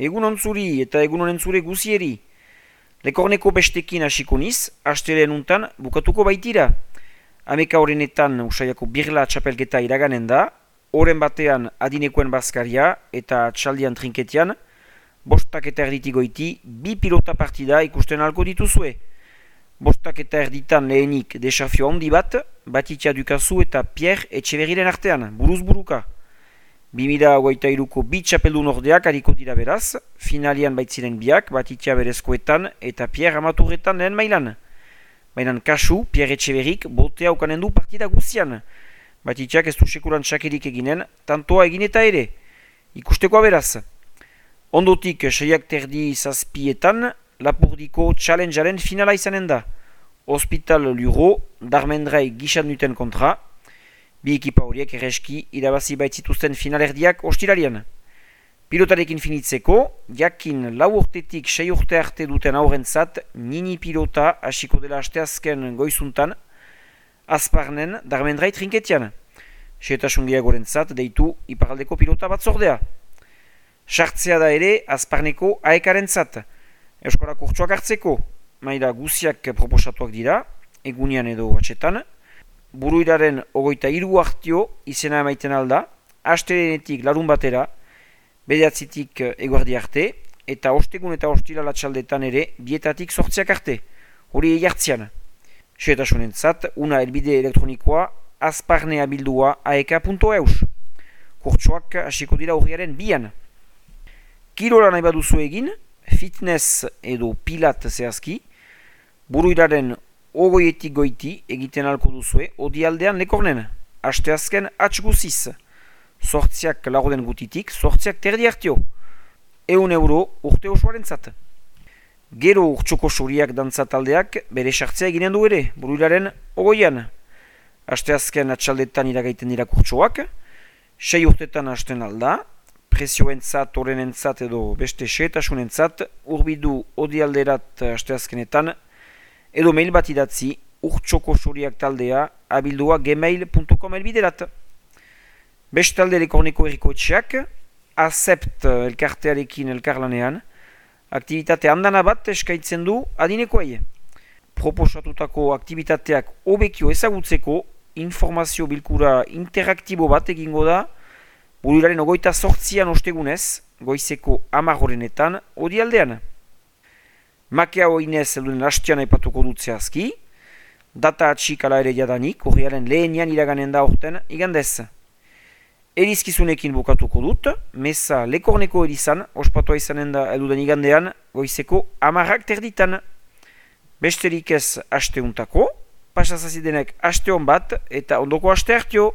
Egun ontzuri eta egun onentzure guzieri. Lekorneko bestekin hasiko niz, asteleen untan bukatuko baitira. Ameka horrenetan usaiako birla txapelketa iraganen da, horren batean adinekoen bazkaria eta txaldian trinketian, bostak eta erditik goiti, bi pilota partida ikusten alko dituzue. Bostak eta erditan lehenik desafio handi bat, Batitia Dukazu eta Pierre Etxeberriren artean, buruz buruka. 2023ko bi txapeldun ordeak hariko dira beraz, finalian baitziren biak, Batitia berezkoetan eta Pierre amaturretan lehen mailan. Baina kasu, Pierre Etxeberrik botea ukanen du partida guzian. Batitiak ez du sekuran txakerik eginen, tantoa egin eta ere. Ikustekoa beraz. Ondotik, 6:30 zazpietan, Lapurdiko Challengearen finala izanen da. Hospital Luro, Darmendrai gixan duten kontra. Bi ekipa horiek erreski irabazi baitzituzten finalerdiak ostiralian. Pilotarekin finitzeko, jakin 4 urtetik 6 urte arte duten aurrentzat mini pilota hasiko dela asteazken goizuntan, Azparnen Darmendrai trinketian. Xehetasun gehiagorentzat deitu iparaldeko pilota batzordea. Sartzea da ere Azparneko aekarentzat. Euskara kurtsuak hartzeko, maila guziak proposatuak dira, egunean edo atxetan. Buruiraren 23 hartio izena emaiten alda, astelenetik larun batera, bederatzitik eguerdi arte, eta ostegun eta ostilala txaldetan ere bietatik sortziak arte, hori egartzian. Xehetasunentzat, una elbide elektronikoa azparnea bildua aeka.eus. Kurtsuak hasiko dira urriaren 2an. Kirola nahi baduzu egin, fitness edo pilat zehazki, buruiraren 20etik goiti egiten alko duzue odialdean lekornen. Asteazken atx guziz. Sortziak lagoden gutitik, sortziak terdi hartio. €1 urte osoaren zat. Gero urtsoko suriak dantzataldeak bere sartzea eginen du ere, buruiraren 20an. Asteazken atxaldetan iragaiten dira kurtsoak, 6 urtetan hasten alda, prezioentzat, horrenentzat edo beste xehetasunentzat, urbidu odialderat asteazkenetan, edo mail bat idatzi urtsoko suriak taldea abildua gmail.com elbiderat. Bestalde Lekorneko herriko etxeak, Azept elkartearekin elkarlanean, aktivitate handana bat eskaitzen du adinekoei. Proposatutako aktivitateak hobekio ezagutzeko informazio bilkura interaktibo bat egingo da, buruiraren 28an ostegunez, goizeko 10 odialdean. Makea hoinez elduen hastian aipatuko dut zehazki, data atxik ala ere jadanik, horriaren lehenian iraganen da orten igandez. Erizkizunekin bukatuko dut, meza Lekorneko erizan, ospatua izanen da elduden igandean, goizeko 10 terditan. Besterik ez asteuntako, pasazazidenek aste hon bat eta ondoko aste hartio.